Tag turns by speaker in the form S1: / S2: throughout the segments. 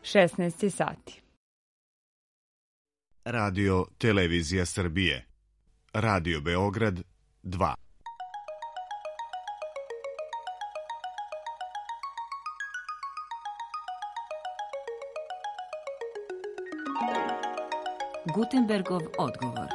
S1: 16 sati.
S2: Radio Televizija Srbije. Radio Beograd 2.
S3: Gutenbergov odgovor.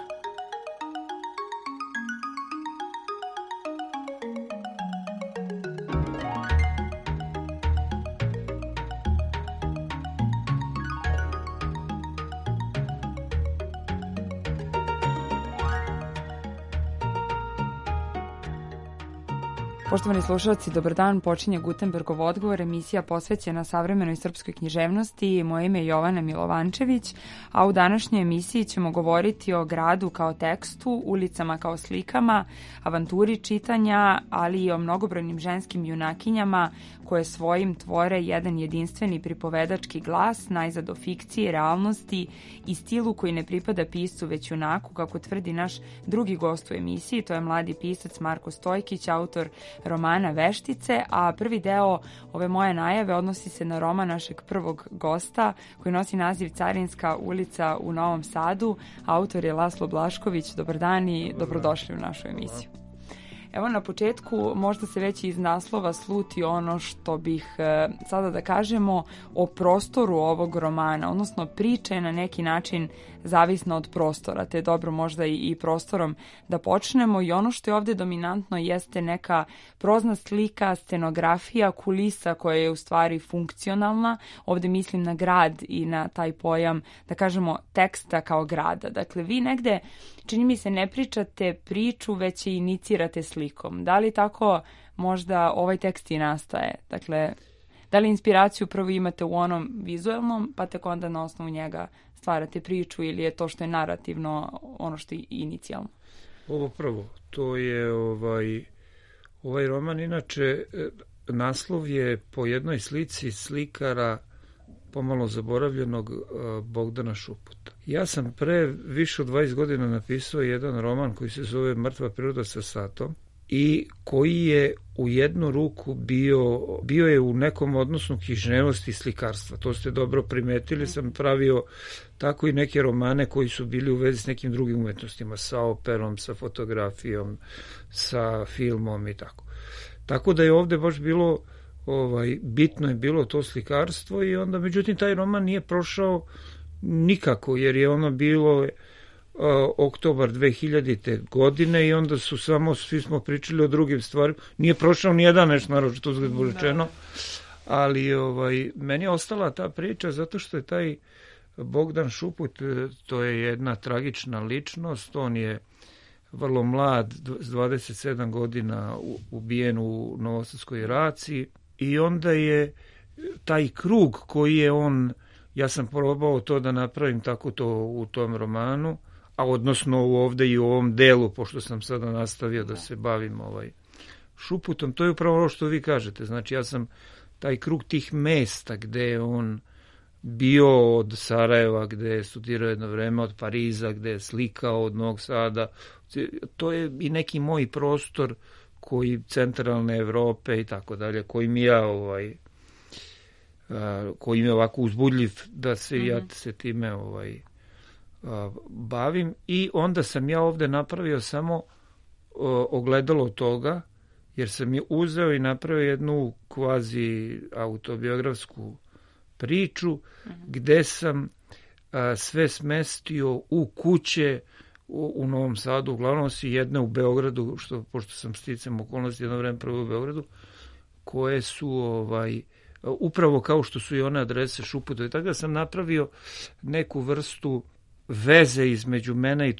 S1: Poštovani slušalci, dobar dan, počinje Gutenbergov odgovor, emisija posvećena savremenoj srpskoj književnosti. Moje ime je Jovana Milovančević, a u današnjoj emisiji ćemo govoriti o gradu kao tekstu, ulicama kao slikama, avanturi čitanja, ali i o mnogobrojnim ženskim junakinjama koje svojim tvore jedan jedinstveni pripovedački glas, najzad o fikciji, realnosti i stilu koji ne pripada piscu već junaku, kako tvrdi naš drugi gost u emisiji, to je mladi pisac Marko Stojkić, autor romana Veštice, a prvi deo ove moje najave odnosi se na roman našeg prvog gosta koji nosi naziv Carinska ulica u Novom Sadu. Autor je Laslo Blašković. Dobar dan i dobrodošli u našu emisiju. Evo na početku možda se već iz naslova sluti ono što bih sada da kažemo o prostoru ovog romana, odnosno priča je na neki način zavisna od prostora, te je dobro možda i prostorom da počnemo i ono što je ovdje dominantno jeste neka prozna slika, scenografija, kulisa koja je u stvari funkcionalna. Ovdje mislim na grad i na taj pojam, da kažemo, teksta kao grada. Dakle, vi negde, čini mi se, ne pričate priču, već je inicirate slikom. Da li tako možda ovaj tekst i nastaje? Dakle, da li inspiraciju prvo imate u onom vizualnom, pa tek onda na osnovu njega stvarate priču, ili je to što je narativno ono što je inicijalno?
S4: Ovo prvo, to je ovaj roman, inače naslov je po jednoj slici slikara pomalo zaboravljenog Bogdana Šuputa. Ja sam pre više od 20 godina napisao jedan roman koji se zove Mrtva priroda sa satom i koji je u jednu ruku bio je u nekom odnosu književnosti i slikarstva. To ste dobro primetili, sam pravio tako i neke romane koji su bili u vezi s nekim drugim umetnostima, sa operom, sa fotografijom, sa filmom i tako. Tako da je ovde baš bilo, bitno je bilo to slikarstvo i onda, međutim, taj roman nije prošao nikako, jer je ono bilo oktobar 2000. godine i onda su svi smo pričali o drugim stvarima. Nije prošao ni jedan nešto naročito uzgled rečeno, ali meni je ostala ta priča zato što je taj Bogdan Šuput, to je jedna tragična ličnost, on je vrlo mlad, s 27 godina ubijen u Novosadskoj raciji i onda je taj krug koji je on, ja sam probao to da napravim tako to u tom romanu, a odnosno ovde i u ovom delu, pošto sam sada nastavio da se bavim Šuputom, to je upravo ono što vi kažete. Znači, ja sam taj krug tih mesta gde je on bio, od Sarajeva, gde je studirao jedno vreme, od Pariza, gde je slikao, od Novog Sada, to je i neki moj prostor koji centralne Evrope i tako dalje, koji mi je ovako uzbudljiv da se ja se time bavim. I onda sam ja ovde napravio samo ogledalo toga, jer sam je uzeo i napravio jednu kvazi autobiografsku priču gde sam sve smestio u kuće u Novom Sadu, uglavnom si jedne u Beogradu, pošto sam sticam okolnosti jedno vreme prvo u Beogradu, koje su upravo kao što su i one adrese Šuputa. I tako da sam napravio neku vrstu veze između mene i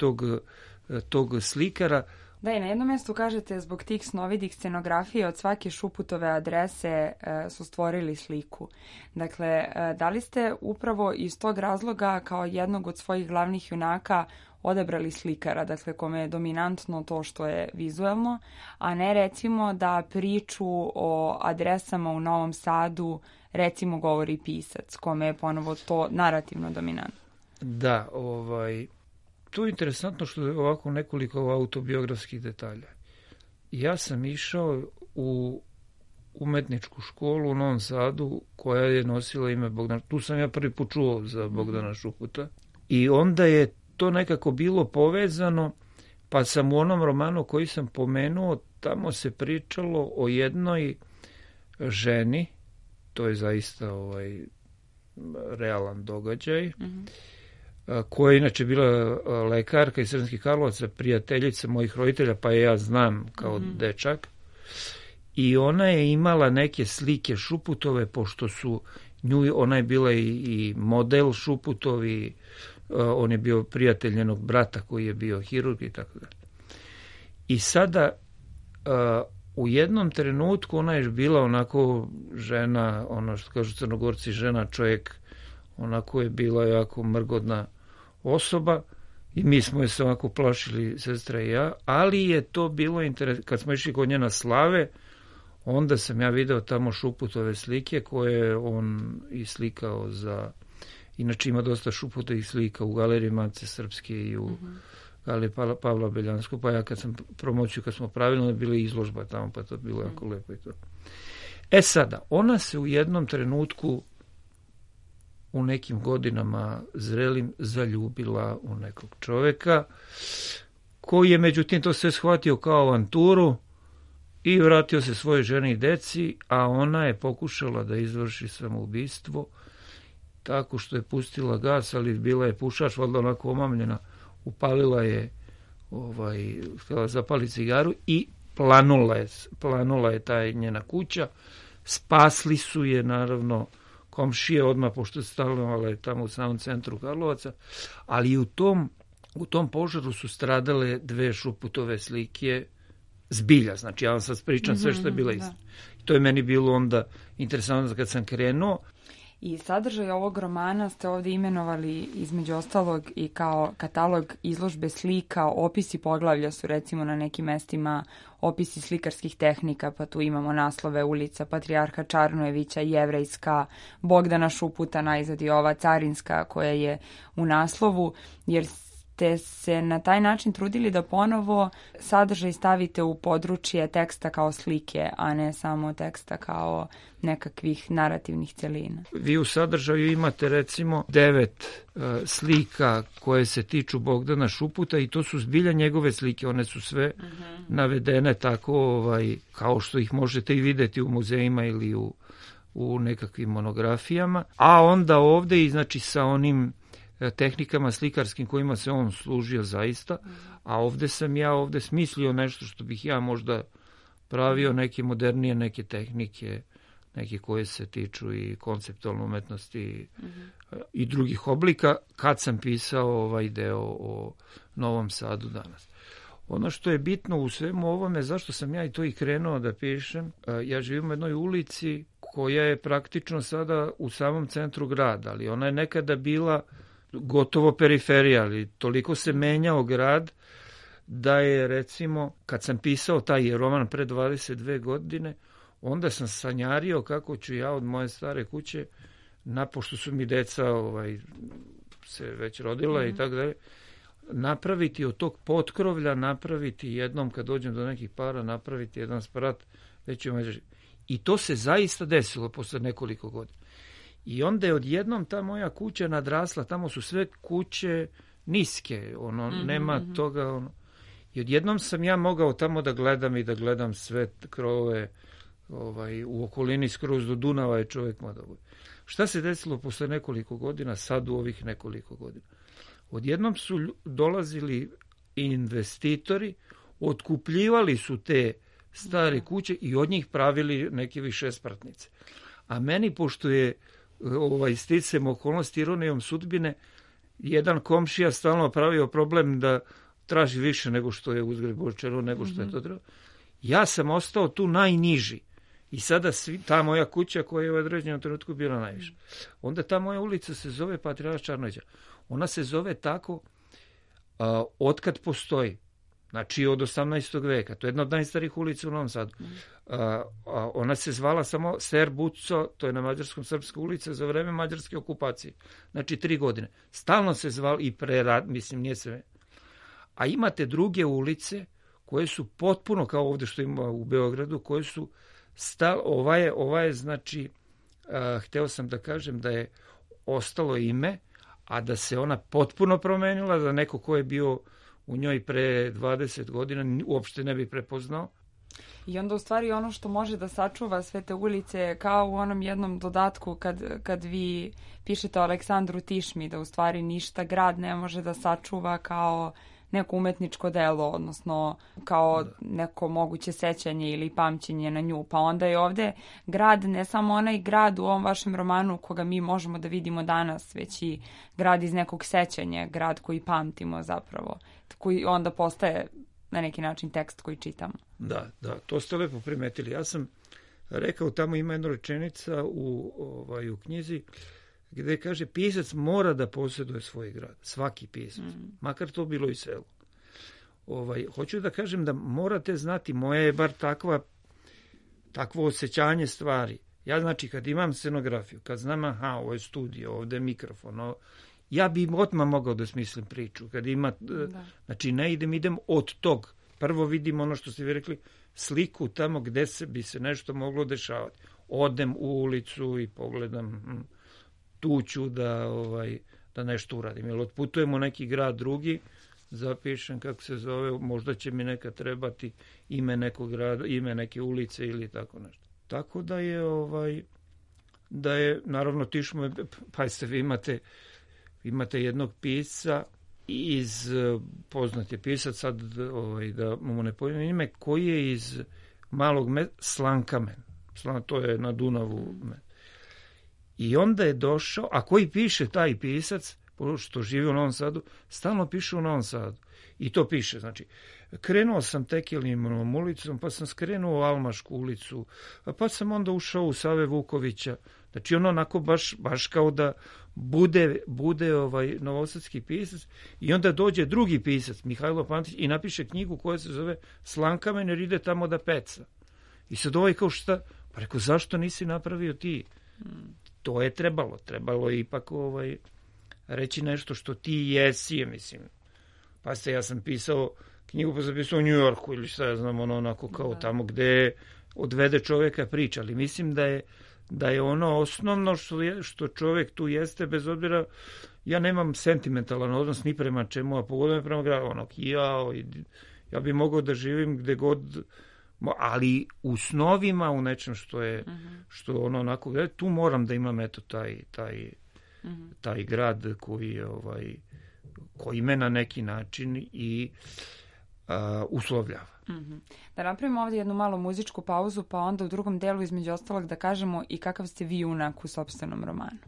S4: tog slikara.
S1: Da, i na jednom mjestu kažete, zbog tih snovidih scenografije od svake Šuputove adrese su stvorili sliku. Dakle, da li ste upravo iz tog razloga kao jednog od svojih glavnih junaka odabrali slikara, dakle kome je dominantno to što je vizuelno, a ne recimo da priču o adresama u Novom Sadu recimo govori pisac, kome je ponovo to narativno dominantno?
S4: Da, to je interesantno što je ovako nekoliko autobiografskih detalja. Ja sam išao umetničku školu u Novom Sadu koja je nosila ime Bogdana. Tu sam ja prvi put čuo za Bogdana Šuputa. I onda je to nekako bilo povezano, pa sam u onom romanu koji sam pomenuo, tamo se pričalo o jednoj ženi, to je zaista realan događaj, koja je inače bila lekarka iz Sremskih Karlovaca, prijateljica mojih roditelja, pa je ja znam kao dečak. I ona je imala neke slike Šuputove, pošto su ona je bila i model Šuputovi, on je bio prijatelj njenog brata koji je bio hirurg i tako dalje. I sada u jednom trenutku ona je bila onako žena, ono što kažu Crnogorci, žena čovjek, onako je bila jako mrgodna osoba i mi smo je se ovako plašili, sestra i ja, ali je to bilo interesantno. Kad smo išli kod nje na slave, onda sam ja video tamo Šuputove slike koje on i slikao za... Inače ima dosta Šuputovih slika u galeriji Matice Srpske i u galeriji Pavla Beljanskog, pa ja kad smo pravili, bili izložba tamo, pa to je bilo jako lepo i to. Sada, ona se u jednom trenutku u nekim godinama zrelim zaljubila u nekog čoveka koji je međutim to sve shvatio kao avanturu i vratio se svojoj ženi i deci, a ona je pokušala da izvrši samoubistvo tako što je pustila gas, ali bila je pušač, valjda onako omamljena, upalila je, htjela zapali cigaru i planula je ta njena kuća. Spasli su je, naravno, komšije odmah, pošto je stanovala tamo u samom centru Karlovaca, ali u tom požaru su stradale 2 Šuputove slike zbilja. Znači, ja vam sad pričam sve što je bila istina. To je meni bilo onda interesantno kad sam krenuo.
S1: I sadržaj ovog romana ste ovdje imenovali između ostalog i kao katalog izložbe slika, opisi poglavlja su recimo na nekim mestima opisi slikarskih tehnika, pa tu imamo naslove ulica Patrijarha Čarnojevića, Jevrejska, Bogdana Šuputa, najzad i ova Carinska koja je u naslovu, jer ste se na taj način trudili da ponovo sadržaj stavite u područje teksta kao slike, a ne samo teksta kao nekakvih narativnih celina.
S4: Vi u sadržaju imate recimo 9 slika koje se tiču Bogdana Šuputa i to su zbilja njegove slike, one su sve navedene tako kao što ih možete i vidjeti u muzejima ili u nekakvim monografijama, a onda ovdje i znači sa onim tehnikama slikarskim kojima se on služio zaista, a ovdje sam ja smislio nešto što bih ja možda pravio, neke modernije, neke tehnike, neke koje se tiču i konceptualne umetnosti i drugih oblika, kad sam pisao ovaj deo o Novom Sadu danas. Ono što je bitno u svemu ovome, zašto sam ja i to i krenuo da pišem, ja živim u jednoj ulici koja je praktično sada u samom centru grada, ali ona je nekada bila gotovo periferija, ali toliko se menjao grad da je recimo, kad sam pisao taj roman pre 22 godine, onda sam sanjario kako ću ja od moje stare kuće, pošto su mi deca se već rodila i tako dalje, napraviti od tog potkrovlja, napraviti jednom kad dođem do nekih para, napraviti jedan sprat, i to se zaista desilo posle nekoliko godina. I onda je odjednom ta moja kuća nadrasla, tamo su sve kuće niske, nema toga, I odjednom sam ja mogao tamo da gledam i da gledam sve krovove, u okolini skroz do Dunava je čovjek mogao. Šta se desilo posle nekoliko godina, sad u ovih nekoliko godina? Odjednom su dolazili investitori, otkupljivali su te stare kuće i od njih pravili neke višespratnice. A meni, pošto je sticam okolnosti ironijom sudbine, jedan komšija stalno pravio problem da traži više nego što je uzgred Bočero, nego što je to trebalo. Ja sam ostao tu najniži i sada ta moja kuća koja je u određenom trenutku bila najviša. Onda ta moja ulica se zove Patrijarha Čarnojevića. Ona se zove tako otkad postoji. Znači od 18. veka. To je jedna od najstarijih ulica u Novom Sadu. Ona se zvala samo Ser Buco, to je na mađarskom srpska ulica, za vreme mađarske okupacije. Znači 3 godine. Stalno se zvala i prerad, mislim, nije sve. A imate druge ulice koje su potpuno kao ovdje što ima u Beogradu, koje su ova je znači, hteo sam da kažem da je ostalo ime, a da se ona potpuno promenila, da neko ko je bio u njoj pre 20 godina uopšte ne bi prepoznao.
S1: I onda u stvari ono što može da sačuva sve te ulice, kao u onom jednom dodatku kad vi pišete o Aleksandru Tišmi, da u stvari ništa grad ne može da sačuva kao neko umetničko delo, odnosno kao neko moguće sećanje ili pamćenje na nju. Pa onda je ovde grad, ne samo onaj grad u ovom vašem romanu koga mi možemo da vidimo danas, već i grad iz nekog sećanja, grad koji pamtimo zapravo, koji onda postaje na neki način tekst koji čitamo.
S4: Da, to ste lepo primetili. Ja sam rekao, tamo ima jedna rečenica u knjizi gde kaže pisac mora da posjeduje svoj grad. Svaki pisac. Makar to bilo i selo. Hoću da kažem da morate znati, moje je bar takvo osjećanje stvari. Ja znači kad imam scenografiju, kad znam ovo je studio, ovde je mikrofon, ja bi odmah mogao da smislim priču. Kad ima, znači ne idem od tog. Prvo vidim ono što ste vi rekli, sliku tamo gde bi se nešto moglo dešavati. Odem u ulicu i pogledam, tu ću da nešto uradim. Jer otputujem u neki grad drugi, zapišem kako se zove, možda će mi nekad trebati ime nekog grada, ime neke ulice ili tako nešto. Tako da je naravno Tišmo, pa ste vi imate jednog pisca poznat je pisac, sad da mu ne pojavim ime, koji je iz malog Slankamen. To je na Dunavu. I onda je došao, a koji piše taj pisac, što živi u Novom Sadu, stalno piše u Novom Sadu. I to piše, znači, krenuo sam Tekelinom ulicom, pa sam skrenuo u Almašku ulicu, pa sam onda ušao u Save Vukovića. Znači, ono onako baš kao da bude novosadski pisac i onda dođe drugi pisac, Mihajlo Pantić, i napiše knjigu koja se zove Slankamen jer ide tamo da peca. I sad kao šta? Pa rekao, zašto nisi napravio ti? To je trebalo je ipak reći nešto što ti jesi, mislim. Pa ja sam pisao knjigu, pa sam pisao u New Yorku ili šta ja znam, onako kao tamo gde odvede čoveka priča, ali mislim da je ono osnovno što čovek tu jeste, bez obzira, ja nemam sentimentalan odnos ni prema čemu, a pogotovo prema gradu, ja bi mogao da živim gde god, ali u snovima, u nečem što ono onako, tu moram da imam taj grad koji me na neki način i uslovljava.
S1: Da napravimo ovdje jednu malu muzičku pauzu, pa onda u drugom delu između ostalog da kažemo i kakav ste vi junak u sopstvenom romanu.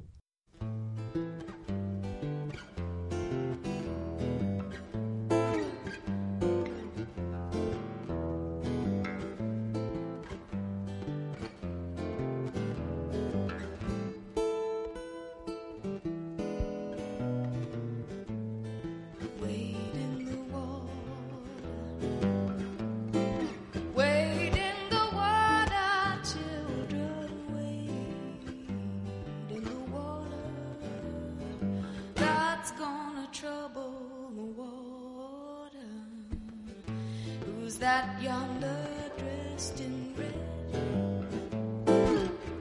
S5: That yonder dressed in red,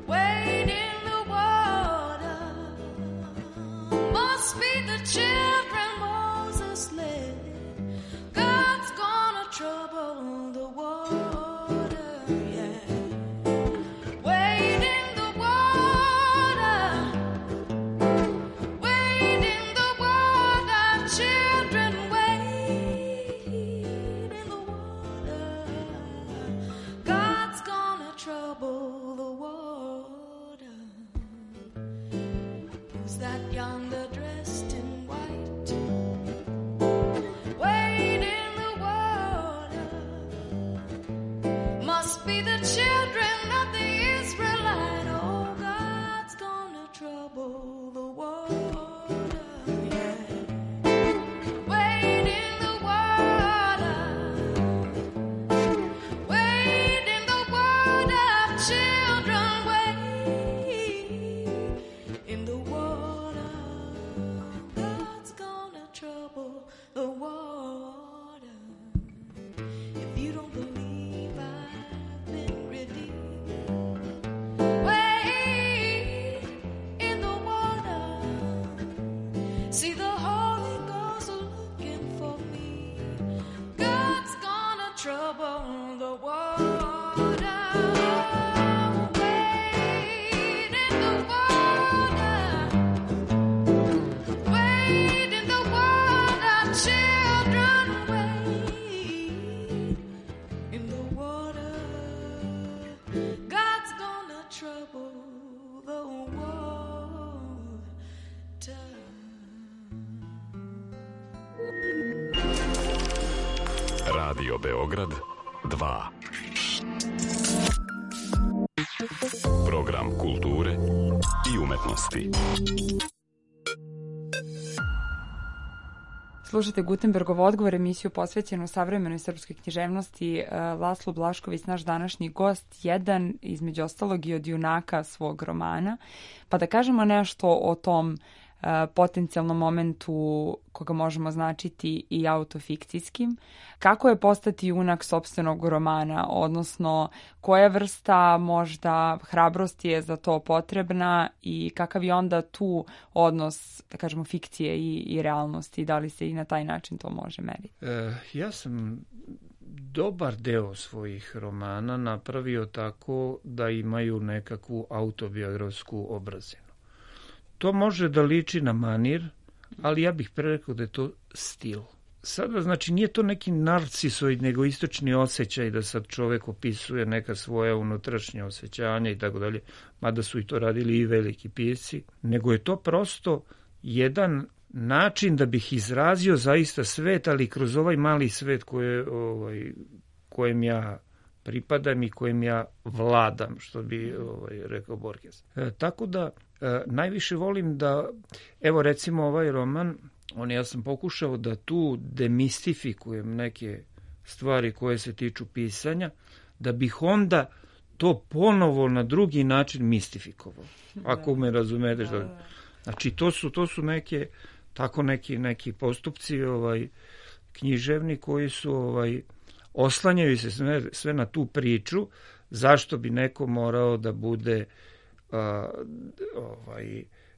S5: wade in the water, must be the children Moses led. God's gonna trouble the water, yeah. Wade in the water, wade in the water, children wade in the water. God's gonna trouble the water. Who's that yonder dressed in white? Wade in the water. Must be the children of the Israelite. Oh, God's gonna trouble the water, yeah. Wade in the water. Wade in the water, children, wade in the water. See, the Holy Ghost looking for me. God's gonna trouble the water. Wade in the water. Wade in the water, children, wade in the water. God's gonna trouble the water.
S6: Radio Beograd 2. Program kulture i umetnosti.
S1: Slušate Gutenbergov odgovor, emisiju posvećenu savremenoj srpskoj književnosti. Laslo Blašković, naš današnji gost, jedan između ostalog i od junaka svog romana. Pa da kažemo nešto o tom potencijalnom momentu koga možemo značiti i autofikcijskim. Kako je postati junak sopstvenog romana, odnosno koja vrsta možda hrabrosti je za to potrebna i kakav je onda tu odnos, da kažemo, fikcije i realnosti, da li se i na taj način to može meriti?
S4: Ja sam dobar deo svojih romana napravio tako da imaju nekakvu autobiografsku obrazinu. To može da liči na manir, ali ja bih prerekao da je to stil. Sada, znači, nije to neki narcisoid, nego istočni osjećaj da sad čovek opisuje neka svoja unutrašnja osjećanja i tako dalje, mada su i to radili i veliki pisci, nego je to prosto jedan način da bih izrazio zaista svet, ali kroz ovaj mali svet kojem ja pripadam i kojem ja vladam, što bi rekao Borges. Tako da najviše volim da, evo recimo ovaj roman, ja sam pokušao da tu demistifikujem neke stvari koje se tiču pisanja, da bih onda to ponovo na drugi način mistifikovao. Ako me razumete. Znači to su neke, tako neki postupci književni koji su oslanjaju se sve na tu priču, zašto bi neko morao da bude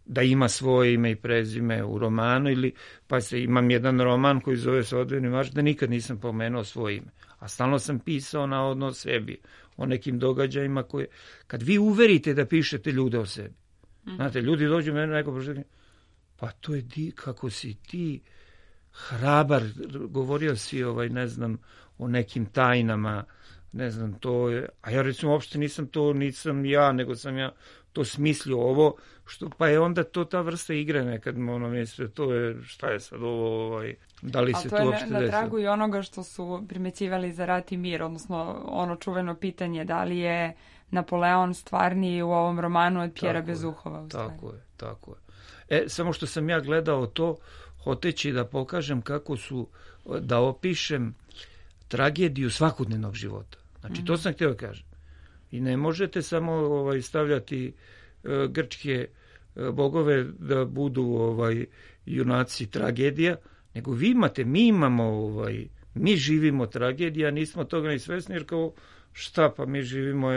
S4: da ima svoje ime i prezime u romanu, ili pa imam jedan roman koji zove Svakodnevni marš, da nikad nisam pomenuo svoje ime, a stalno sam pisao navodno o sebi, o nekim događajima koje, kad vi uverite da pišete ljude o sebi, znate, ljudi dođu mene neko prošli, pa to je kako si ti hrabar, govorio si ne znam, o nekim tajnama, ne znam, to je, a ja recimo uopšte nisam ja, nego sam ja to smislio ovo, pa je onda to ta vrsta igre nekad, misle, to je, šta je sad ovo, da li se to uopšte desilo. A to je na tragu
S1: i onoga što su primećivali za Rat i mir, odnosno ono čuveno pitanje, da li je Napoleon stvarniji u ovom romanu od Pjera Bezuhova.
S4: Tako je. Samo što sam ja gledao to, hoteći da pokažem kako su, da opišem tragediju svakodnevnog života. Znači, to sam htio da kažem. I ne možete samo stavljati grčke bogove da budu junaci tragedija, nego mi imamo, mi živimo tragedija, nismo toga ni svesni, jer kao šta, pa mi živimo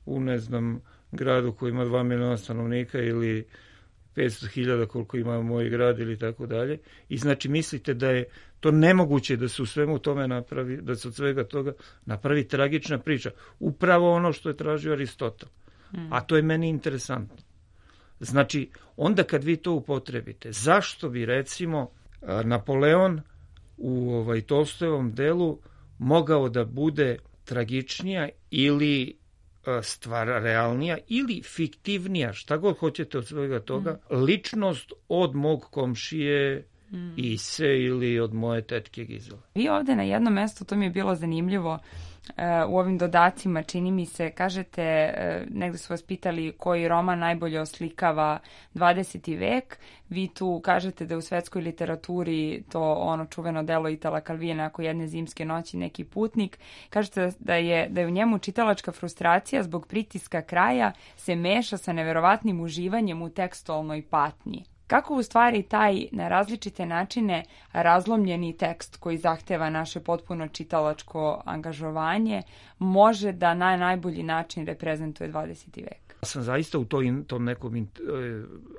S4: u, ne znam, gradu koji ima 2 miliona stanovnika ili 500.000 koliko ima moj grad ili tako dalje. I znači mislite da je to nemoguće da se u svemu tome napravi, da se od svega toga napravi tragična priča. Upravo ono što je tražio Aristotel. A to je meni interesantno. Znači, onda kad vi to upotrebite, zašto bi recimo Napoleon u Tolstojevom delu mogao da bude tragičnija ili stvar realnija ili fiktivnija, šta god hoćete od svega toga, ličnost od mog komšije Ise ili od moje tetke Gizele.
S1: Vi ovde na jednom mestu, to mi je bilo zanimljivo, u ovim dodacima, čini mi se, kažete, negde su vas pitali koji roman najbolje oslikava 20. vek, vi tu kažete da je u svetskoj literaturi to ono čuveno delo Itala Calvina, ako jedne zimske noći neki putnik, kažete da je u njemu čitalačka frustracija zbog pritiska kraja se meša sa neverovatnim uživanjem u tekstualnoj patnji. Kako u stvari taj na različite načine razlomljeni tekst koji zahteva naše potpuno čitalačko angažovanje može da na najbolji način reprezentuje 20. vek?
S4: Ja sam zaista u tom nekom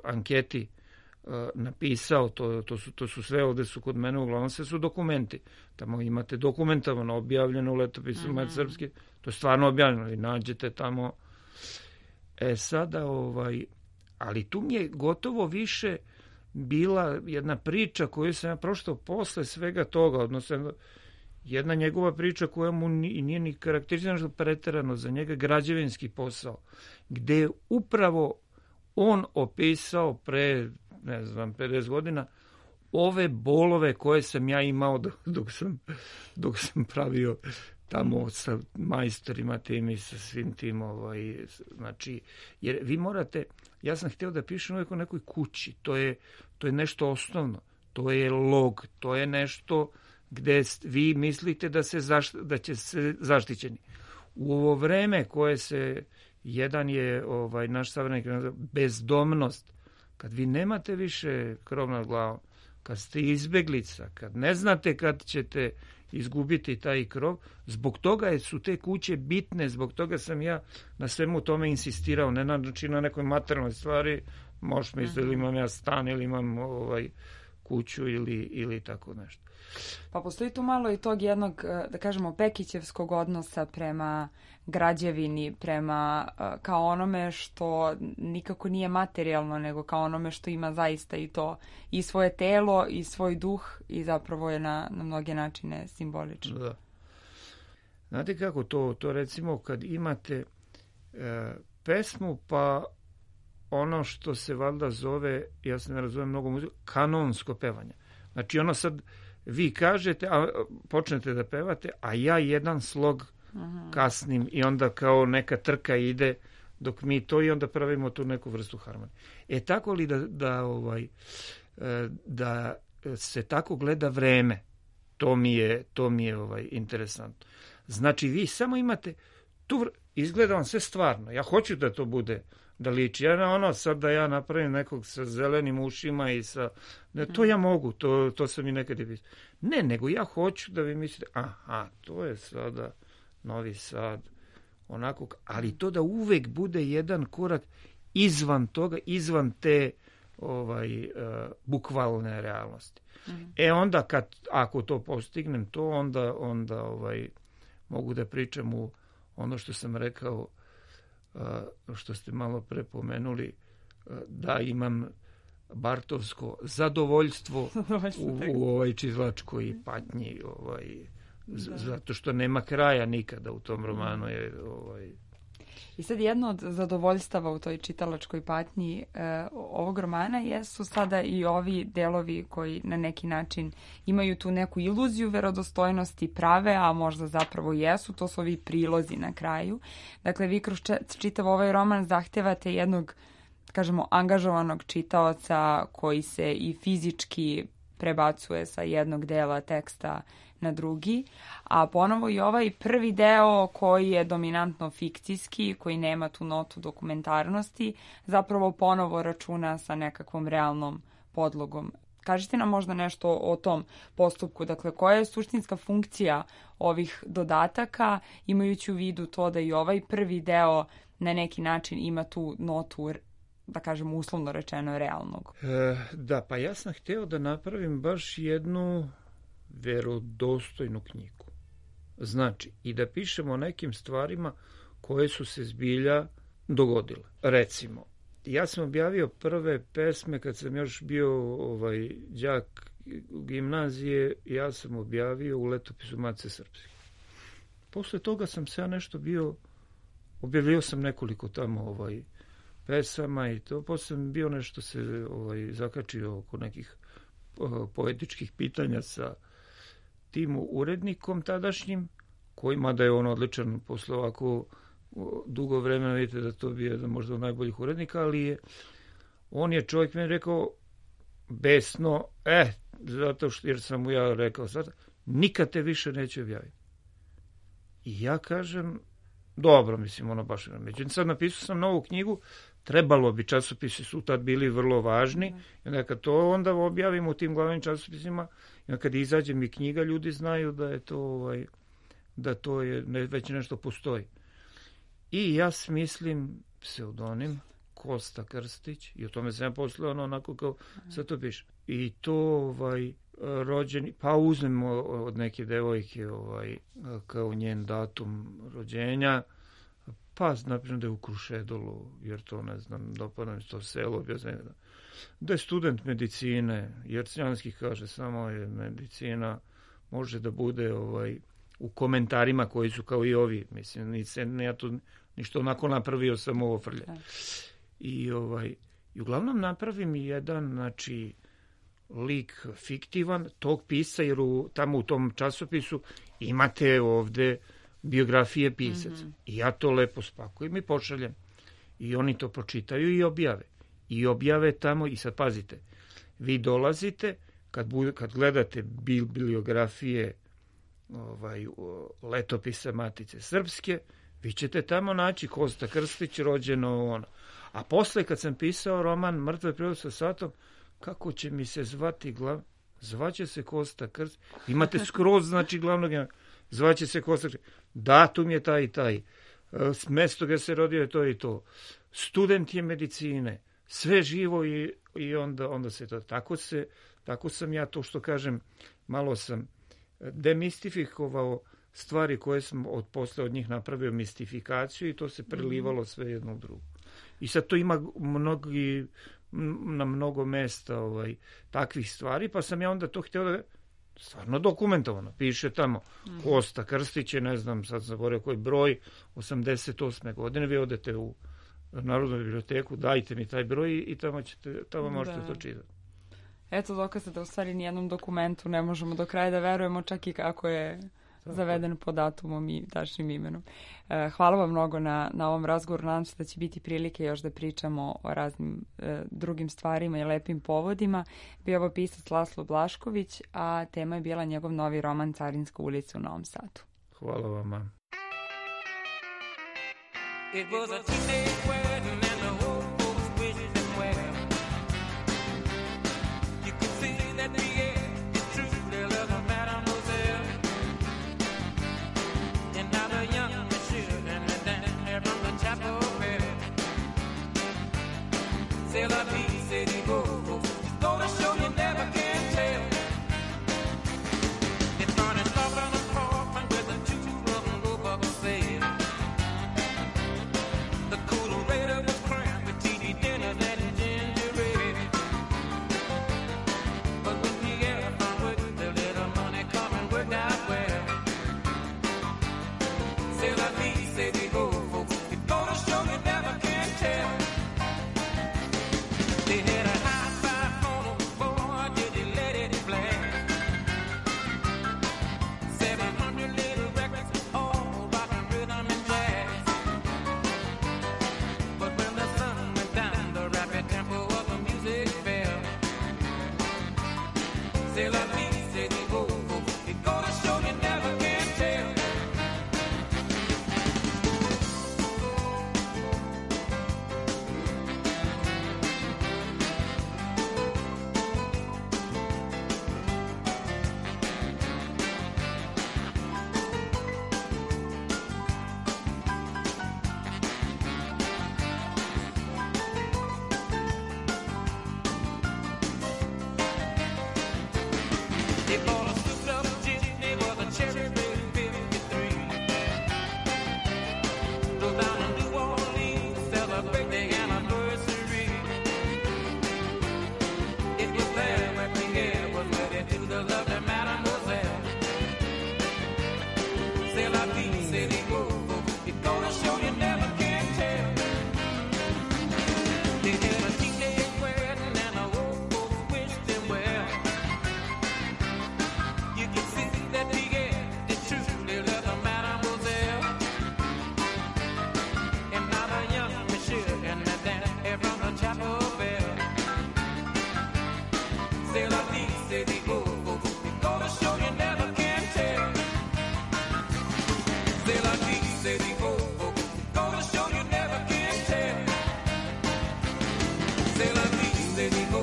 S4: anketi napisao, to su sve ovde su kod mene, uglavnom sve su dokumenti. Tamo imate dokumentovano, objavljeno u letopisu Matice srpske, to je stvarno objavljeno i nađete tamo. Sada, ali tu mi je gotovo više bila jedna priča koju sam ja proštao posle svega toga, odnosno jedna njegova priča koja mu nije ni karakterizirana preterano za njega, građevinski posao, gde je upravo on opisao pre, 50 godina ove bolove koje sam ja imao dok sam pravio tamo sa majstorima tim i sa svim tim, znači, jer vi morate, ja sam hteo da pišem uvijek o nekoj kući, to je nešto osnovno, to je log, to je nešto gde vi mislite da će se zaštićeni. U ovo vreme koje se, jedan je naš savremenik bezdomnost, kad vi nemate više krov nad glavom, kad ste izbeglica, kad ne znate kad ćete izgubiti taj krov, zbog toga su te kuće bitne, zbog toga sam ja na svemu tome insistirao, ne znači na nekoj materijalnoj stvari, možeš misliti ili imam ja stan ili imam kuću ili tako nešto.
S1: Pa postoji tu malo i tog jednog, da kažemo, Pekićevskog odnosa prema građevini, prema kao onome što nikako nije materijalno, nego kao onome što ima zaista i to, i svoje telo, i svoj duh, i zapravo je na mnoge načine simbolično.
S4: Da. Znate kako to recimo kad imate pesmu, pa ono što se valjda zove, ja se ne razumijem mnogo muziku, kanonsko pevanje. Znači ono sad vi kažete, počnete da pevate, a ja jedan slog kasnim i onda kao neka trka ide dok mi to i onda pravimo tu neku vrstu harmonije. Tako li da se tako gleda vreme, to mi je interesantno. Znači vi samo imate, tu izgleda vam sve stvarno, ja hoću da to bude, da liči. Ja sad da ja napravim nekog sa zelenim ušima i sa... To ja mogu, to sam i nekad i pisao. Ne, nego ja hoću da vi mislite, to je sada Novi Sad, onako, ali to da uvek bude jedan korak izvan toga, izvan te bukvalne realnosti. Onda ako to postignem, to onda mogu da pričam u ono što sam rekao, što ste malo pre pomenuli, da imam bartovsko zadovoljstvo u ovoj čislačkoj patnji, zato što nema kraja nikada u tom romanu.
S1: I sad jedno od zadovoljstava u toj čitalačkoj patnji ovog romana jesu sada i ovi delovi koji na neki način imaju tu neku iluziju verodostojnosti prave, a možda zapravo jesu, to su ovi prilozi na kraju. Dakle, vi kroz čitav ovaj roman zahtevate jednog, kažemo, angažovanog čitaoca koji se i fizički prebacuje sa jednog dela teksta na drugi, a ponovo i ovaj prvi deo koji je dominantno fikcijski, koji nema tu notu dokumentarnosti, zapravo ponovo računa sa nekakvom realnom podlogom. Kažite nam možda nešto o tom postupku, dakle koja je suštinska funkcija ovih dodataka, imajući u vidu to da i ovaj prvi deo na neki način ima tu notu, da kažem uslovno rečeno, realnog.
S4: Da, pa ja sam hteo da napravim baš jednu verodostojnu knjigu. Znači, i da pišemo o nekim stvarima koje su se zbilja dogodile. Recimo, ja sam objavio prve pesme kad sam još bio đak gimnazije, ja sam objavio u letopisu Matice srpske. Posle toga sam se ja nešto objavio sam nekoliko tamo pesama i to, posle sam bio nešto se zakačio oko nekih poetičkih pitanja sa tim urednikom tadašnjim, kojima da je on odličan posle ovako dugo vremena, vidite da to bio jedan možda od najboljih urednika, ali on je čovjek meni rekao besno, zato što, jer sam mu ja rekao sad, nikad te više neće objaviti. I ja kažem, dobro, mislim, baš. Međutim, sad napisao sam novu knjigu, trebalo bi, časopisi su tad bili vrlo važni, i onda kad to onda objavimo u tim glavnim časopisima, i onda kad izađe mi knjiga, ljudi znaju da je to, da to je, već nešto postoji. I ja smislim pseudonim Kosta Krstić, i o tome sam ja poslao onako kao sad to piše. I to rođeni, pa uzmemo od neke devojke kao njen datum rođenja, pa napišem da je u Krušedolu, jer to ne znam, dopada mi to selo, da je student medicine, jer Crnjanski kaže samo je medicina, može da bude u komentarima koji su kao i ovi, mislim, ja tu ništa onako napravio sam ovo frlje. I uglavnom napravim jedan, znači, lik fiktivan tog pisca, jer tamo u tom časopisu imate ovde biografije pisaca. I ja to lepo spakujem i pošaljem. I oni to pročitaju i objave. I objave tamo, i sad pazite, vi dolazite, kad gledate bibliografije letopisa Matice Srpske, vi ćete tamo naći Kosta Krstić, rođeno ono. A posle, kad sam pisao roman Mrtve prirode sa satom, kako će mi se zvati zvaće se Kosta Krstić. Imate skroz, znači, glavnog, zvaće se Kosta Krstić. Datum je taj i taj. Mesto gde se rodio je to i to. Student je medicine. Sve živo i onda se to. Tako sam ja to, što kažem, malo sam demistifikovao stvari koje sam posle od njih napravio mistifikaciju i to se prelivalo sve jedno u drugo. I sad to ima na mnogo mesta takvih stvari, pa sam ja onda to htio da stvarno dokumentovano. Piše tamo Kosta Krstić je, ne znam, sad zaboravio koji broj, 88. godine, vi odete u Narodnu biblioteku, dajte mi taj broj i tamo možete to čitati.
S1: Eto dokaza da u stvari nijednom dokumentu ne možemo do kraja da verujemo, čak i kako je zaveden po datumom i tačnim imenom. Hvala vam mnogo na ovom razgovoru. Nadam se da će biti prilike još da pričamo o raznim drugim stvarima i lepim povodima. Bio ovo pisac Laslo Blašković, a tema je bila njegov novi roman Carinska ulica u Novom Sadu.
S4: Hvala vama.
S7: It was a two-day wedding and the old folks wished them well. You could see that the air is truly love of Mademoiselle. And now the young monsieur and the dancer from the chapel bell. C'est la vie, c'est the go. It's gonna show you never can tell. It's gonna stop on the coffin with the two of them go bubble sail. The coolerator was crammed with TV dinners and ginger ale. But when Pierre found work, the little money come and worked out well. C'est la vie, c'est the go, folks. It's gonna show you never can tell. They had a high five phone, boy, did they let it blast. 700 little records, all rock and rhythm and jazz. But when the sun went down, the rapid tempo of the music fell. C'est la vie, c'est the go, it's gonna show you never can tell. They bought a souped up jitney with a cherry red 53. Drove down to New Orleans to celebrate their anniversary. It was there where Pierre was wedded to the lovely Mademoiselle. C'est la vie, c'est the go, it's gonna show you never can tell. They had a teenage wedding and the old folks wished them well. You can see that Pierre did truly love the Mademoiselle. And now the young monsieur and the dancer from the chapel bell. C'est la vie, c'est the go, it's gonna show you never can tell. C'est la vie, c'est the go, it's gonna show you never can tell. C'est la vie, c'est the go,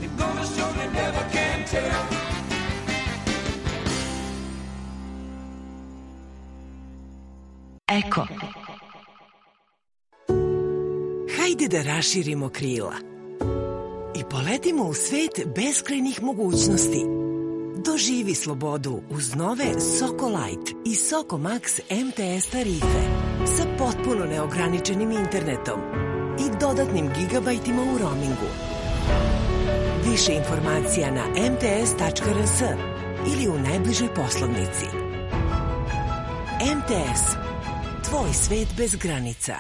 S7: it's gonna show you never can tell.
S3: Eko.
S8: Hajde da raširimo krila i poletimo u svet beskrajnih mogućnosti. Doživi slobodu uz nove Soko Light i Soko Max MTS tarife sa potpuno neograničenim internetom i dodatnim gigabajtima u roamingu. Više informacija na mts.rs ili u najbližoj poslovnici. MTS. Tvoj svet bez granica.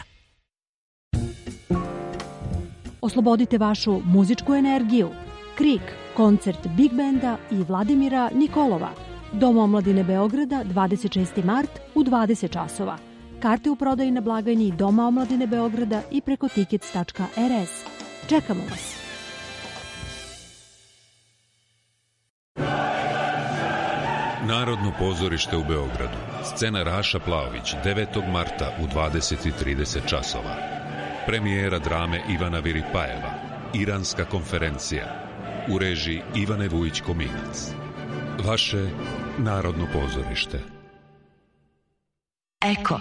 S9: Oslobodite vašu muzičku energiju. Krik, koncert Big Benda i Vladimira Nikolova. Dom omladine Beograda, 26. mart u 20 časova. Karte u prodaji na blagajni Doma omladine Beograda i preko tickets.rs. Čekamo vas.
S10: Narodno pozorište u Beogradu. Scena Raša Plaović, 9. marta u 20:30 časova. Premijera drame Ivana Viripajeva. Iranska konferencija. U režiji Ivane Vujić-Kominac. Vaše Narodno pozorište.
S3: Eko.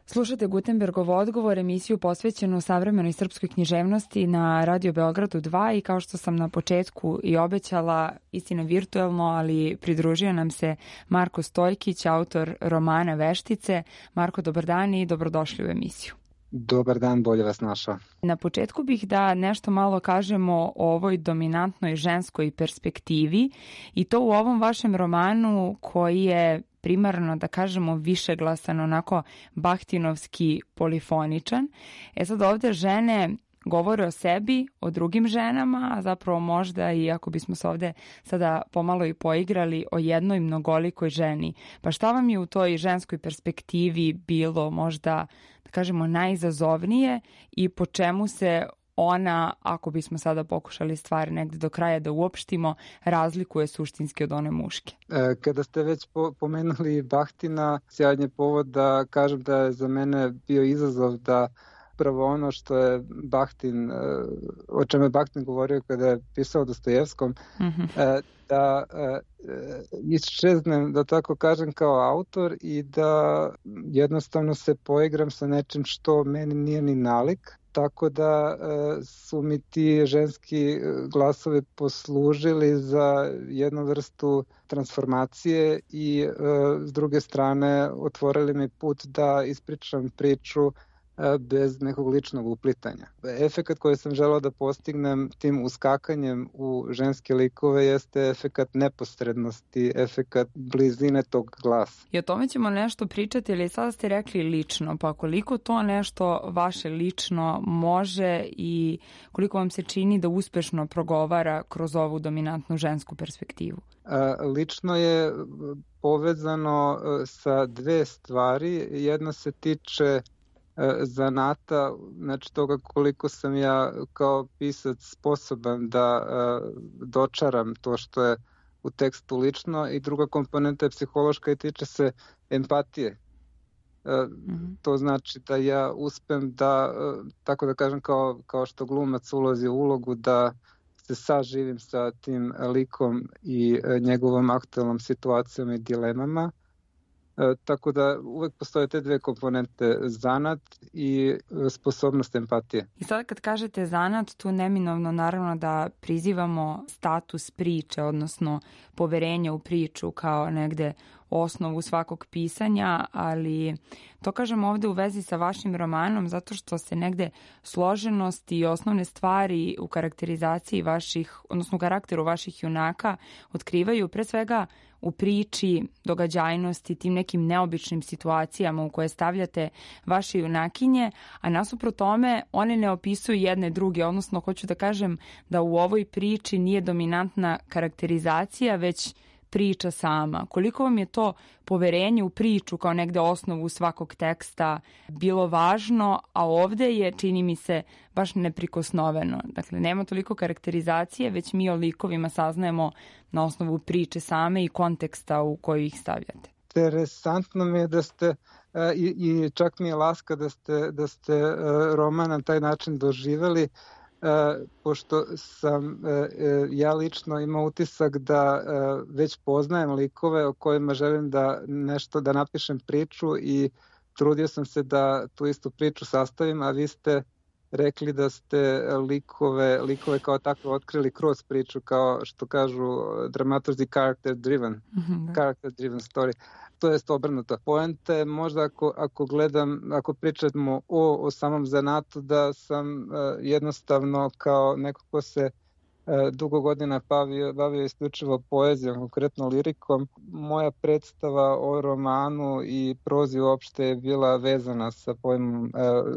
S1: Slušate Gutenbergov odgovor, emisiju posvećenu savremenoj srpskoj književnosti na Radio Beogradu 2 i kao što sam na početku i obećala, istina virtuelno, ali pridružio nam se Marko Stojkić, autor romana Veštice. Marko, dobar dan i dobrodošli u emisiju.
S11: Dobar dan, bolje vas našao.
S1: Na početku bih da nešto malo kažemo o ovoj dominantnoj ženskoj perspektivi i to u ovom vašem romanu koji je primarno, da kažemo, višeglasan, onako bahtinovski polifoničan. Sad ovde žene govore o sebi, o drugim ženama, a zapravo možda i ako bismo se ovde sada pomalo i poigrali o jednoj mnogolikoj ženi. Pa šta vam je u toj ženskoj perspektivi bilo možda, da kažemo, najizazovnije i po čemu se ona, ako bismo sada pokušali stvari negde do kraja da uopštimo, razlikuje suštinski od one muške?
S11: Kada ste već pomenuli Bahtina, sjajan je povod da kažem da je za mene bio izazov da upravo ono što je Bahtin, o čemu je Bahtin govorio kada je pisao Dostojevskom, da iščeznem, da tako kažem, kao autor i da jednostavno se poigram sa nečim što meni nije ni nalik. Tako da su mi ti ženski glasovi poslužili za jednu vrstu transformacije i s druge strane otvorili mi put da ispričam priču bez nekog ličnog uplitanja. Efekat koji sam želeo da postignem tim uskakanjem u ženske likove jeste efekat neposrednosti, efekat blizine tog glasa.
S1: I o tome ćemo nešto pričati, ali sada ste rekli lično, pa koliko to nešto vaše lično može i koliko vam se čini da uspešno progovara kroz ovu dominantnu žensku perspektivu?
S11: Lično je povezano sa dve stvari. Jedna se tiče zanata, znači toga koliko sam ja kao pisac sposoban da dočaram to što je u tekstu lično, i druga komponenta je psihološka i tiče se empatije. To znači da ja uspem da, tako da kažem, kao što glumac ulazi u ulogu, da se saživim sa tim likom i njegovom aktualnom situacijom i dilemama. Tako da uvek postoje te dve komponente, zanat i sposobnost empatije.
S1: I sada kad kažete zanat, tu neminovno naravno da prizivamo status priče, odnosno poverenje u priču kao negde osnovu svakog pisanja, ali to kažem ovde u vezi sa vašim romanom zato što se negde složenost i osnovne stvari u karakterizaciji vaših, odnosno u karakteru vaših junaka otkrivaju pre svega u priči, događajnosti, tim nekim neobičnim situacijama u koje stavljate vaše junakinje, a nasuprot tome one ne opisuju jedne druge, odnosno hoću da kažem da u ovoj priči nije dominantna karakterizacija, već priča sama. Koliko vam je to poverenje u priču kao negde osnovu svakog teksta bilo važno, a ovde je, čini mi se, baš neprikosnoveno. Dakle, nema toliko karakterizacije, već mi o likovima saznajemo na osnovu priče same i konteksta u koju ih stavljate.
S11: Interesantno mi je da ste, i čak mi je laska da ste roman na taj način doživeli, pošto sam ja lično imao utisak da već poznajem likove o kojima želim da napišem priču, i trudio sam se da tu istu priču sastavim, a vi ste rekli da ste likove kao takve otkrili kroz priču, kao što kažu dramaturzi character driven story. To jest obrnuto. Poenta je možda ako pričamo o samom zanatu, da sam jednostavno kao neko ko se dugo godina bavio isključivo poezijom, konkretno lirikom. Moja predstava o romanu i prozi uopšte je bila vezana sa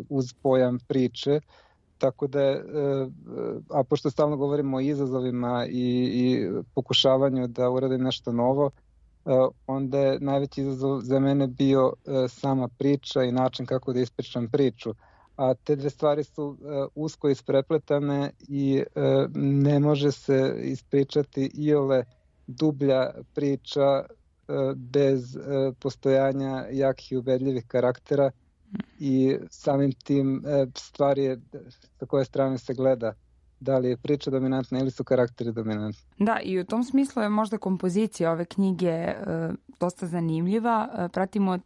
S11: uz pojam priče, tako da je, a pošto stalno govorimo o izazovima i pokušavanju da uradim nešto novo, onda je najveći izazov za mene bio sama priča i način kako da ispričam priču. A te dve stvari su usko isprepletane i ne može se ispričati iole dublja priča bez postojanja jakih i ubedljivih karaktera i samim tim stvari je sa koje strane se gleda. Da li je priča dominantna ili su karakteri dominantni.
S1: Da, i u tom smislu je možda kompozicija ove knjige dosta zanimljiva. Pratimo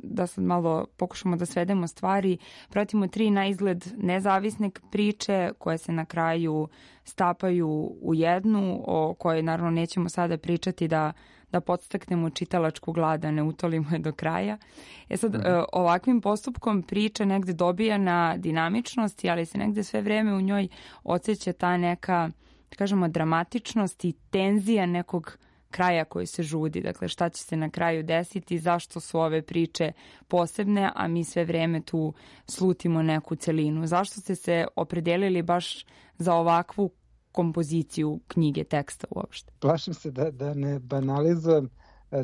S1: da sad malo pokušamo da svedemo stvari, pratimo 3 na izgled nezavisne priče koje se na kraju stapaju u jednu, o kojoj naravno nećemo sada pričati da podstaknemo čitalačku glad, da ne utolimo je do kraja. Sad, ovakvim postupkom priča negde dobija na dinamičnosti, ali se negde sve vreme u njoj osjeća ta neka, da kažemo, dramatičnost i tenzija nekog kraja koji se žudi, dakle šta će se na kraju desiti, zašto su ove priče posebne, a mi sve vreme tu slutimo neku celinu. Zašto ste se opredelili baš za ovakvu kompoziciju knjige, teksta uopšte?
S11: Plašim se da ne banalizujem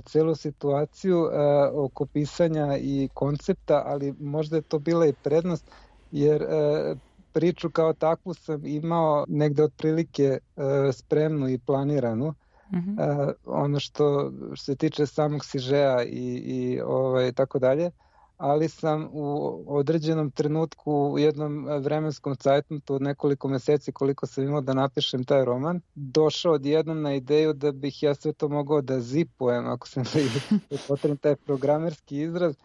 S11: celu situaciju oko pisanja i koncepta, ali možda je to bila i prednost, jer priču kao takvu sam imao negde otprilike spremnu i planiranu. Ono što se tiče samog sižeja i tako dalje, ali sam u određenom trenutku u jednom vremenskom cajtnotu od nekoliko meseci koliko sam imao da napišem taj roman, došao odjednom na ideju da bih ja sve to mogao da zipujem, ako sam potrebno taj programerski izraz,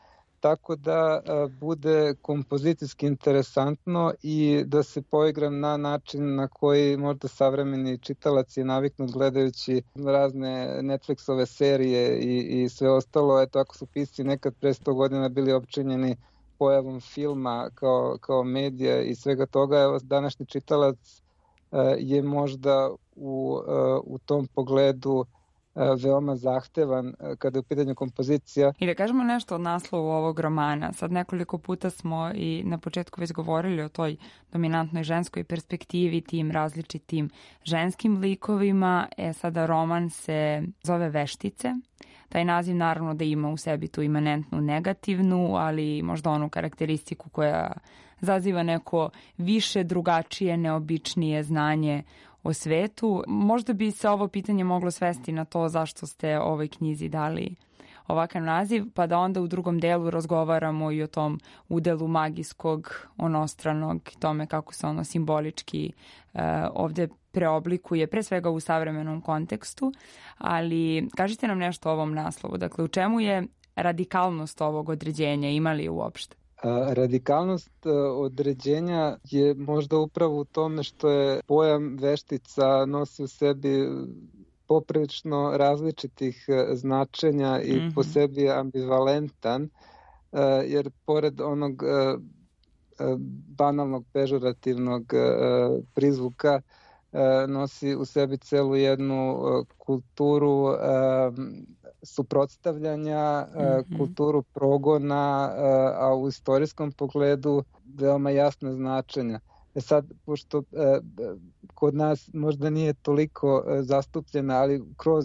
S11: tako da bude kompozicijski interesantno i da se poigram na način na koji možda savremeni čitalac je naviknut gledajući razne Netflixove serije i sve ostalo. Eto, ako su pisci nekad pre 100 godina bili opčinjeni pojavom filma kao medija i svega toga, evo, današnji čitalac je možda u tom pogledu veoma zahtevan kada je u pitanju kompozicija.
S1: I da kažemo nešto od naslovu ovog romana. Sad nekoliko puta smo i na početku već govorili o toj dominantnoj ženskoj perspektivi, tim različitim ženskim likovima. Sada roman se zove Veštice. Taj naziv naravno da ima u sebi tu imanentnu negativnu, ali možda onu karakteristiku koja zaziva neko više, drugačije, neobičnije znanje o svetu. Možda bi se ovo pitanje moglo svesti na to zašto ste ovoj knjizi dali ovakav naziv, pa da onda u drugom delu razgovaramo i o tom udelu magijskog, onostranog, tome kako se ono simbolički ovde preoblikuje, pre svega u savremenom kontekstu. Ali kažite nam nešto o ovom naslovu. Dakle, u čemu je radikalnost ovog određenja, ima li uopšte?
S11: Radikalnost određenja je možda upravo u tome što je pojam veštica nosi u sebi poprilično različitih značenja i po sebi je ambivalentan, jer pored onog banalnog pežorativnog prizvuka nosi u sebi celu jednu kulturu suprotstavljanja, kulturu progona, a u istorijskom pogledu veoma jasna značenja. Sad, pošto kod nas možda nije toliko zastupljena, ali kroz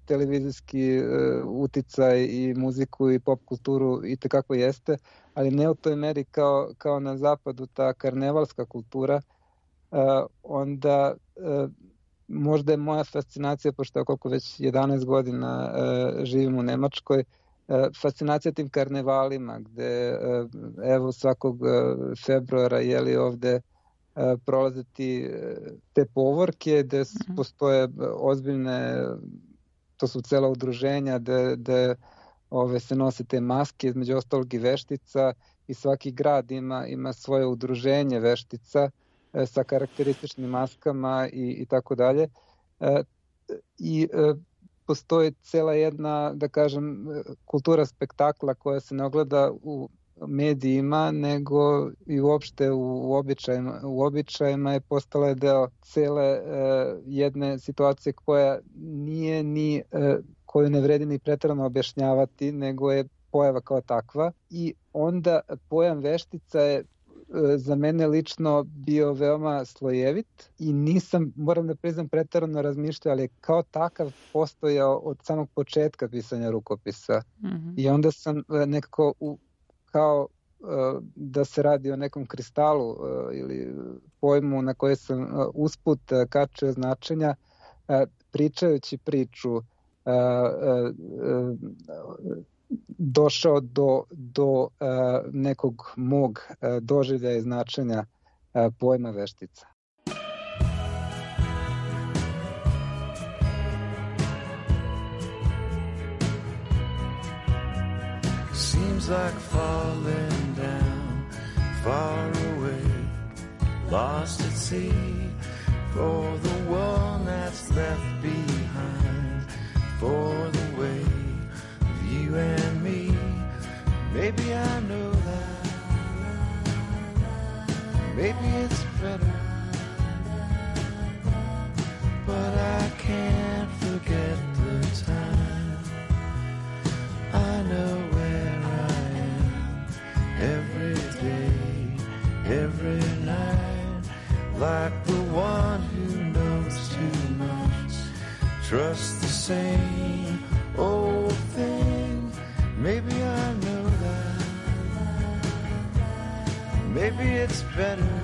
S11: televizijski uticaj i muziku i pop kulturu i tekako jeste, ali ne u toj meri kao na zapadu ta karnevalska kultura, onda možda je moja fascinacija, pošto koliko već 11 godina živim u Nemačkoj, fascinacija tim karnevalima, gde evo svakog februara ovde prolaze te povorke, gde postoje ozbiljne, to su cela udruženja, gde se nose te maske, između ostalog i veštica, i svaki grad ima svoje udruženje veštica sa karakterističnim maskama i tako dalje. I postoji cela jedna, da kažem, kultura spektakla koja se ne ogleda u medijima, nego i uopšte u običajima. U običajima je postala deo cele jedne situacije koja nije ni, koju ne vredi ni preterano objašnjavati, nego je pojava kao takva. I onda pojam veštica je za mene lično bio veoma slojevit i nisam, moram da priznam, preterano razmišljao, ali je kao takav postojao od samog početka pisanja rukopisa. I onda sam nekako kao da se radi o nekom kristalu ili pojmu na koje sam usput kačio značenja, pričajući priču došao do nekog mog doživljaja i značenja pojma veštica.
S7: Seems like falling down, far away, lost at sea, for the one that's left behind, for the way of you and me. Maybe I know that, maybe it's better, but I can't forget the time. I know where I am every day, every night, like the one who knows too much, trust the same old thing. Maybe I know that, maybe it's better,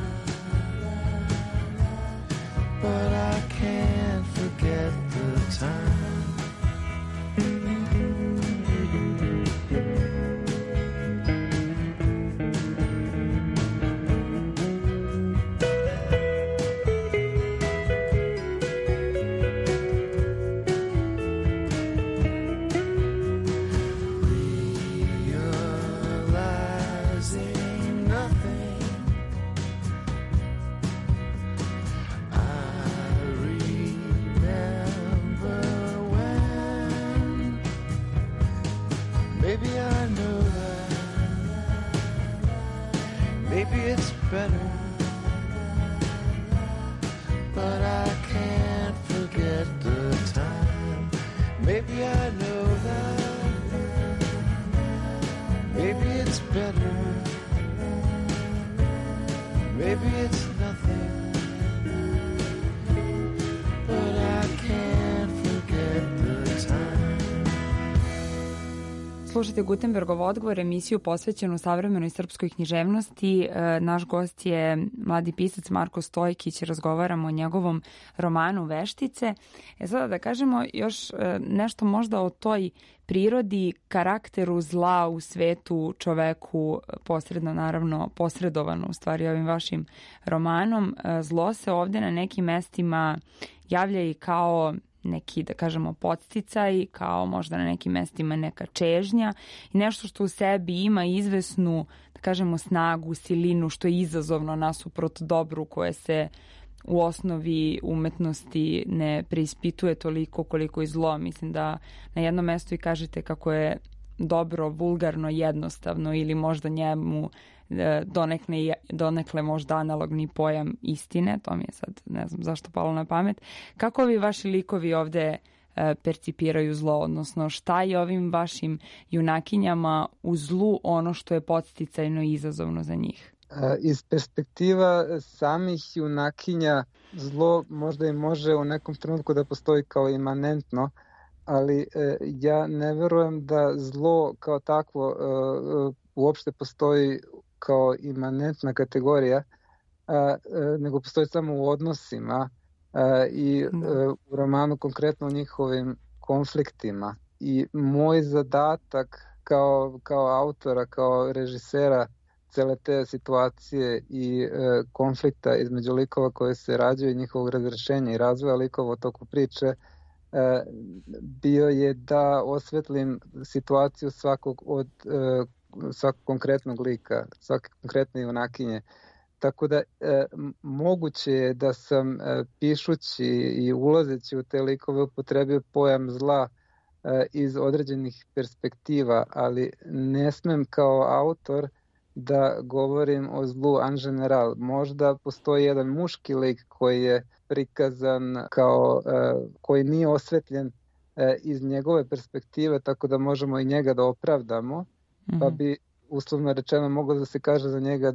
S7: but I can't forget the time.
S1: Slušajte Gutenbergov odgovor, emisiju posvećenu savremenoj srpskoj književnosti. Naš gost je mladi pisac Marko Stojkić, razgovaramo o njegovom romanu Veštice. Sada da kažemo još nešto možda o toj prirodi, karakteru zla u svetu, čoveku, posredno naravno posredovano u stvari ovim vašim romanom. Zlo se ovde na nekim mestima javlja i kao neki, da kažemo, podsticaj, kao možda na nekim mestima neka čežnja i nešto što u sebi ima izvesnu, da kažemo, snagu, silinu, što je izazovno nasuprot dobru koje se u osnovi umetnosti ne preispituje toliko koliko i zlo. Mislim da na jednom mestu i kažete kako je dobro, vulgarno, jednostavno ili možda njemu donekle možda analogni pojam istine, to mi je sad ne znam zašto palo na pamet. Kako vi vaši likovi ovde percipiraju zlo, odnosno šta je ovim vašim junakinjama u zlu ono što je podsticajno i izazovno za njih?
S11: Iz perspektiva samih junakinja zlo možda i može u nekom trenutku da postoji kao imanentno, ali ja ne verujem da zlo kao takvo uopšte postoji kao imanentna kategorija, nego postoji samo u odnosima i u romanu konkretno u njihovim konfliktima. I moj zadatak kao autora, kao režisera cele te situacije i konflikta između likova koje se rađaju i njihovog razrešenja i razvoja likova u toku priče bio je da osvetlim situaciju svakog konkretnog lika, svake konkretne junakinje. Tako da moguće je da sam pišući i ulazeći u te likove upotrebio pojam zla iz određenih perspektiva, ali ne smem kao autor da govorim o zlu en general. Možda postoji jedan muški lik koji je prikazan kao, koji nije osvetljen iz njegove perspektive, tako da možemo i njega da opravdamo, pa bi uslovno rečeno moglo da se kaže za njega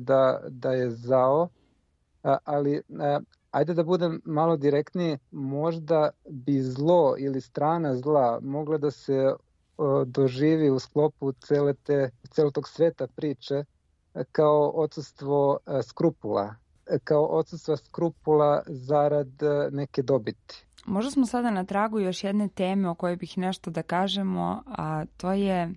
S11: da je zao, ali ajde da budem malo direktniji, možda bi zlo ili strana zla mogla da se doživi u sklopu celog tog sveta priče kao odsustvo skrupula, kao odsustva skrupula zarad neke dobiti.
S1: Možda smo sada na tragu još jedne teme o kojoj bih nešto da kažemo, a to je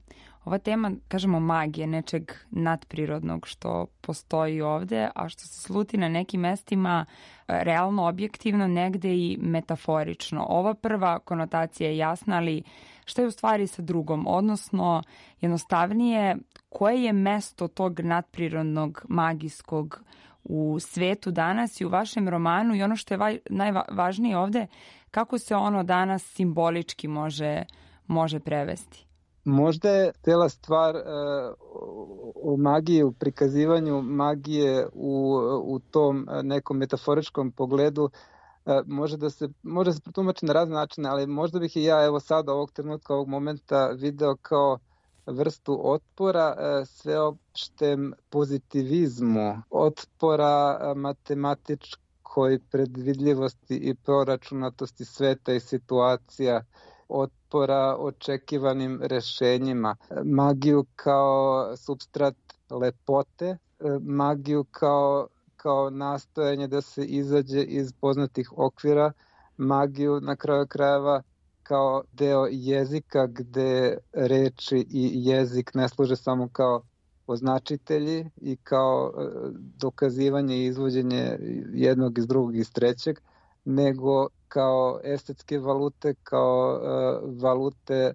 S1: ova tema, kažemo, magije, nečeg nadprirodnog što postoji ovde, a što se sluti na nekim mestima realno objektivno, negde i metaforično. Ova prva konotacija je jasna, ali šta je u stvari sa drugom? Odnosno, jednostavnije, koje je mesto tog nadprirodnog, magijskog u svetu danas i u vašem romanu, i ono što je najvažnije ovde, kako se ono danas simbolički može prevesti?
S11: Možda je cela stvar u magiji, u prikazivanju magije u tom nekom metaforičkom pogledu, može se protumači na razne načine, ali možda bih i ja evo sada ovog trenutka, ovog momenta video kao vrstu otpora sveopštem pozitivizmu, otpora matematičkoj predvidljivosti i proračunatosti sveta i situacija, otpora očekivanim rešenjima, magiju kao supstrat lepote, magiju kao nastojanje da se izađe iz poznatih okvira, magiju na kraju krajeva kao deo jezika gde reči i jezik ne služe samo kao označitelji i kao dokazivanje i izvođenje jednog iz drugog i iz trećeg, nego kao estetske valute, kao valute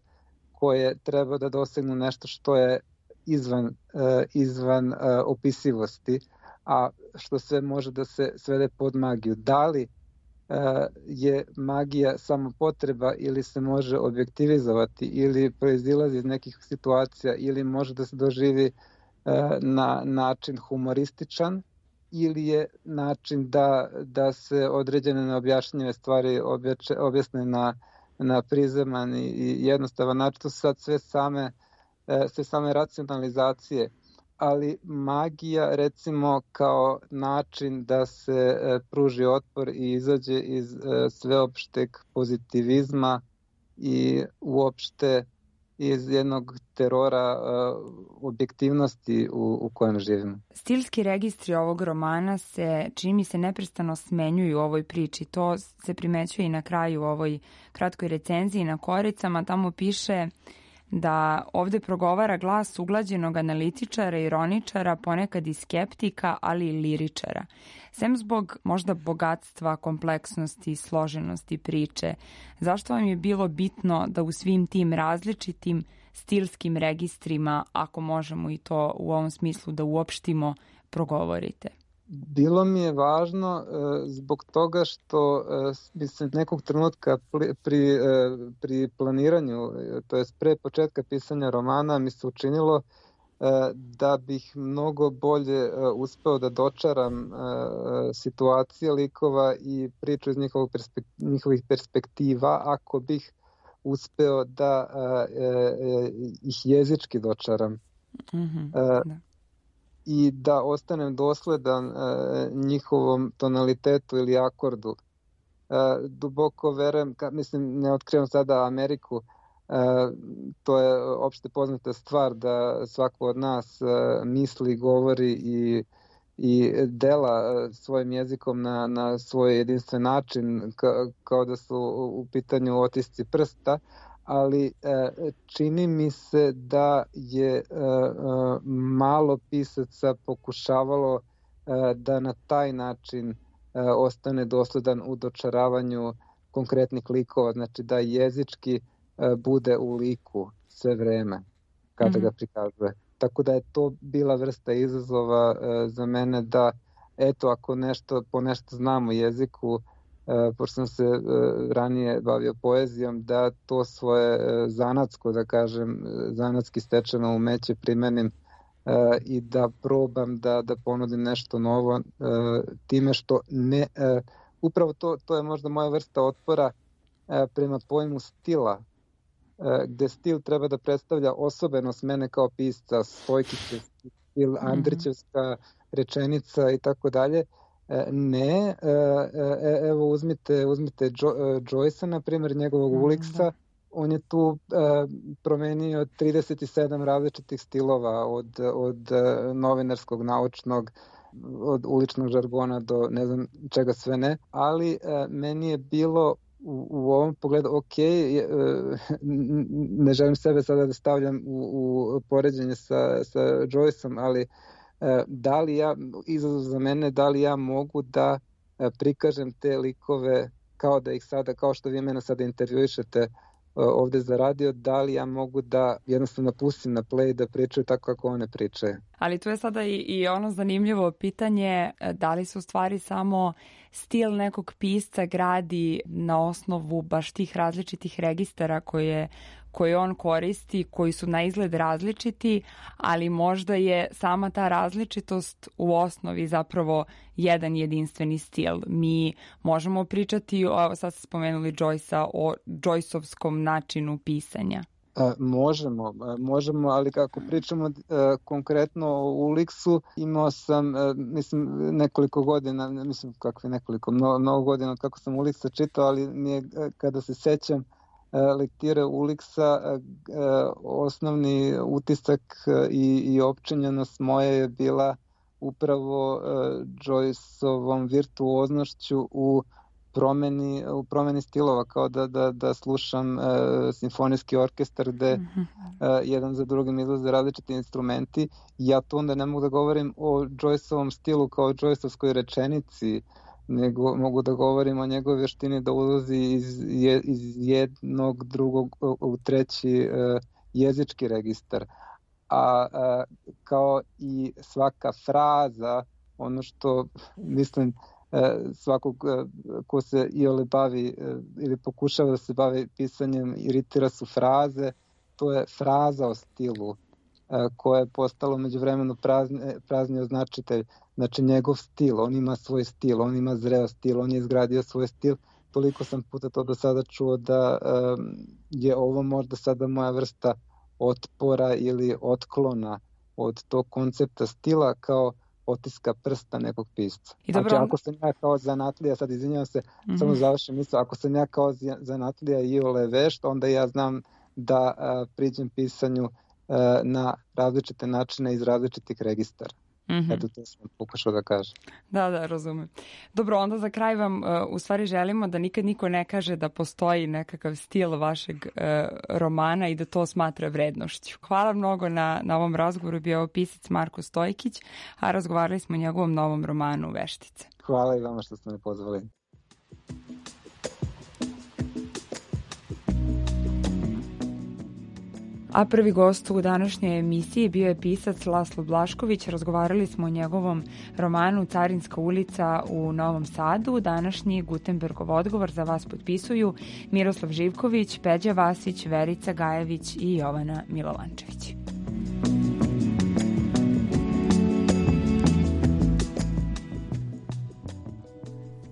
S11: koje treba da dosegnu nešto što je izvan opisivosti, a što sve može da se svede pod magiju. Da li je magija samo potreba ili se može objektivizovati ili proizilazi iz nekih situacija ili može da se doživi na način humorističan ili je način da se određene neobjašnjive stvari objasne na prizeman i jednostavan način. To su sad sve same racionalizacije, ali magija recimo kao način da se pruži otpor i izađe iz sveopšteg pozitivizma i uopšte iz jednog terora objektivnosti u kojem živimo.
S1: Stilski registri ovog romana se, čini mi se, neprestano smenjuju u ovoj priči. To se primećuje i na kraju u ovoj kratkoj recenziji na koricama. Tamo piše da ovde progovara glas uglađenog analitičara, ironičara, ponekad i skeptika, ali i liričara. Sem zbog možda bogatstva, kompleksnosti i složenosti priče, zašto vam je bilo bitno da u svim tim različitim stilskim registrima, ako možemo i to u ovom smislu da uopštimo, progovorite?
S11: Bilo mi je važno zbog toga što mi se nekog trenutka pri planiranju, to jest pre početka pisanja romana, mi se učinilo da bih mnogo bolje uspeo da dočaram situacije likova i priču iz njihovih perspektiva ako bih uspeo da ih jezički dočaram.
S1: Da.
S11: I da ostanem dosledan njihovom tonalitetu ili akordu. Duboko verujem, mislim, ne otkrivam sada Ameriku, to je opšte poznata stvar da svako od nas misli, govori i dela svojim jezikom na svoj jedinstven način, kao da su u pitanju otisci prsta, ali čini mi se da je malo pisaca pokušavalo da na taj način ostane dosledan u dočaravanju konkretnih likova, znači da jezički bude u liku sve vreme kada ga prikazuje. Tako da je to bila vrsta izazova za mene da, eto, ako po nešto znam o jeziku, pošto sam se ranije bavio poezijom, da to svoje zanatsko, da kažem, zanatski stečeno umeće primenim i da probam da ponudim nešto novo time što ne... Upravo to je možda moja vrsta otpora prema pojmu stila, gde stil treba da predstavlja osobenost mene kao pisca, Stojkićev stil, Andrićevska rečenica i tako dalje. Ne, evo uzmite Joyce-a, na primjer, njegovog Uliksa, on je tu promenio 37 različitih stilova, od novinarskog, naučnog, od uličnog žargona do ne znam čega sve ne, ali meni je bilo u ovom pogledu ne želim sebe sada da stavljam u poređenje sa Joyce-om, ali da li izazov za mene, da li ja mogu da prikažem te likove kao da ih sada, kao što vi mene sada intervjuišete ovde za radio, da li ja mogu da jednostavno pustim na play da pričaju tako kako one pričaju.
S1: Ali tu je sada i ono zanimljivo pitanje, da li se u stvari samo stil nekog pisca gradi na osnovu baš tih različitih registara koje on koristi, koji su na izgled različiti, ali možda je sama ta različitost u osnovi zapravo jedan jedinstveni stil. Mi možemo pričati, sad ste spomenuli Joyce-a, o Joyce-ovskom načinu pisanja.
S11: Možemo, ali kako pričamo konkretno o Uliksu, imao sam, nekoliko godina, mnogo godina od kako sam Uliksa čitao, ali kada se sećam lektire Uliksa, osnovni utisak i opčinjenost moje je bila upravo Joyce-ovom virtuoznošću u promeni stilova, kao da slušam simfonijski orkestar gde jedan za drugim izlaze različiti instrumenti. Ja tu onda ne mogu da govorim o Joyce-ovom stilu kao o Joyce-ovskoj rečenici, nego mogu da govorim o njegovoj vještini da ulazi iz jednog, drugog u treći jezički registar. A kao i svaka fraza, ono što mislim svakog ko se iole bavi ili pokušava da se bavi pisanjem, iritira su fraze. To je fraza o stilu koja je postala međuvremenu prazni označitelj. Znači njegov stil, on ima svoj stil, on ima zreo stil, on je izgradio svoj stil. Toliko sam puta to do sada čuo da je ovo možda sada moja vrsta otpora ili otklona od tog koncepta stila kao otiska prsta nekog pisca. Znači ako sam ja kao zanatlija, sad izvinjavam se, samo završim misao, ako sam ja kao zanatlija iole vešt, onda ja znam da priđem pisanju na različite načine iz različitih registara. Eto, to sam pokušao da kažem.
S1: Da, razumem. Dobro, onda za kraj vam u stvari želimo da nikad niko ne kaže da postoji nekakav stil vašeg romana i da to smatra vrednošću. Hvala mnogo na ovom razgovoru, bio je pisac Marko Stojkić, a razgovarali smo o njegovom novom romanu Veštice.
S11: Hvala i vama što ste me pozvali.
S1: A prvi gost u današnjoj emisiji bio je pisac Laslo Blašković. Razgovarali smo o njegovom romanu Carinska ulica u Novom Sadu. Današnji Gutenbergov odgovor za vas potpisuju Miroslav Živković, Peđa Vasić, Verica Gajević i Jovana Milovančević.